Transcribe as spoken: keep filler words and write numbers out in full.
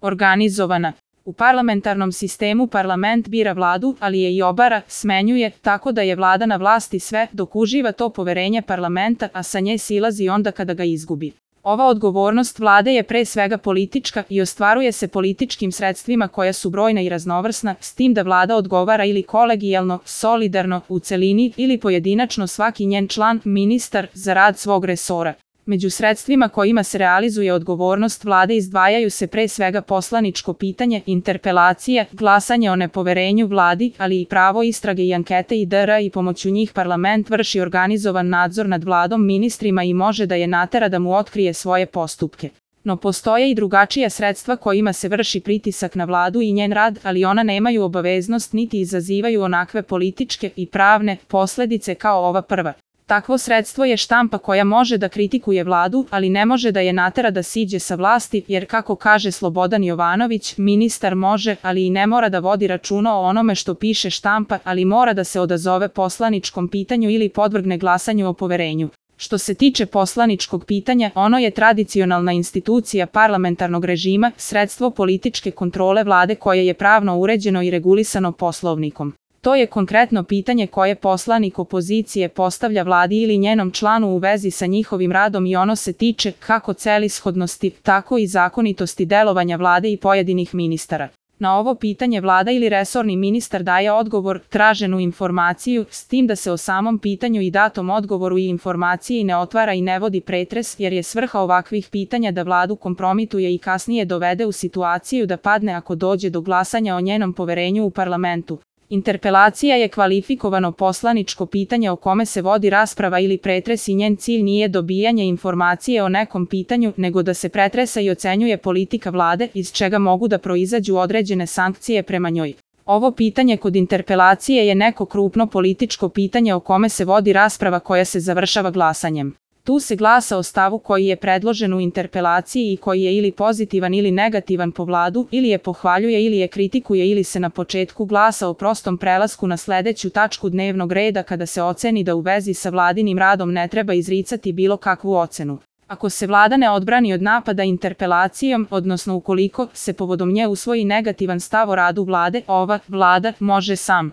organizovana. U parlamentarnom sistemu parlament bira vladu, ali je i obara, smenjuje, tako da je vlada na vlasti sve dok uživa to poverenje parlamenta, a sa nje silazi onda kada ga izgubi. Ova odgovornost vlade je pre svega politička i ostvaruje se političkim sredstvima koja su brojna i raznovrsna, s tim da vlada odgovara ili kolegijalno, solidarno, u celini ili pojedinačno svaki njen član, ministar, za rad svog resora. Među sredstvima kojima se realizuje odgovornost vlade izdvajaju se pre svega poslaničko pitanje, interpelacije, glasanje o nepoverenju vladi, ali i pravo istrage i ankete itd. i pomoću njih parlament vrši organizovan nadzor nad vladom, ministrima i može da je natera da mu otkrije svoje postupke. No postoje i drugačija sredstva kojima se vrši pritisak na vladu i njen rad, ali ona nemaju obaveznost niti izazivaju onakve političke i pravne posledice kao ova prva. Takvo sredstvo je štampa koja može da kritikuje vladu, ali ne može da je natera da siđe sa vlasti, jer kako kaže Slobodan Jovanović, ministar može, ali i ne mora da vodi računa o onome što piše štampa, ali mora da se odazove poslaničkom pitanju ili podvrgne glasanju o poverenju. Što se tiče poslaničkog pitanja, ono je tradicionalna institucija parlamentarnog režima, sredstvo političke kontrole vlade koje je pravno uređeno i regulisano Poslovnikom. To je konkretno pitanje koje poslanik opozicije postavlja vladi ili njenom članu u vezi sa njihovim radom i ono se tiče kako celishodnosti, tako i zakonitosti delovanja vlade i pojedinih ministara. Na ovo pitanje vlada ili resorni ministar daje odgovor, traženu informaciju, s tim da se o samom pitanju i datom odgovoru i informaciji ne otvara i ne vodi pretres, jer je svrha ovakvih pitanja da vladu kompromituje i kasnije dovede u situaciju da padne ako dođe do glasanja o njenom poverenju u parlamentu. Interpelacija je kvalifikovano poslaničko pitanje o kome se vodi rasprava ili pretres i njen cilj nije dobijanje informacije o nekom pitanju, nego da se pretresa i ocenjuje politika vlade, iz čega mogu da proizađu određene sankcije prema njoj. Ovo pitanje kod interpelacije je neko krupno političko pitanje o kome se vodi rasprava koja se završava glasanjem. Tu se glasa o stavu koji je predložen u interpelaciji i koji je ili pozitivan ili negativan po vladu, ili je pohvaljuje ili je kritikuje ili se na početku glasa o prostom prelasku na sledeću tačku dnevnog reda kada se oceni da u vezi sa vladinim radom ne treba izricati bilo kakvu ocenu. Ako se vlada ne odbrani od napada interpelacijom, odnosno ukoliko se povodom nje usvoji negativan stav o radu vlade, ova vlada može sam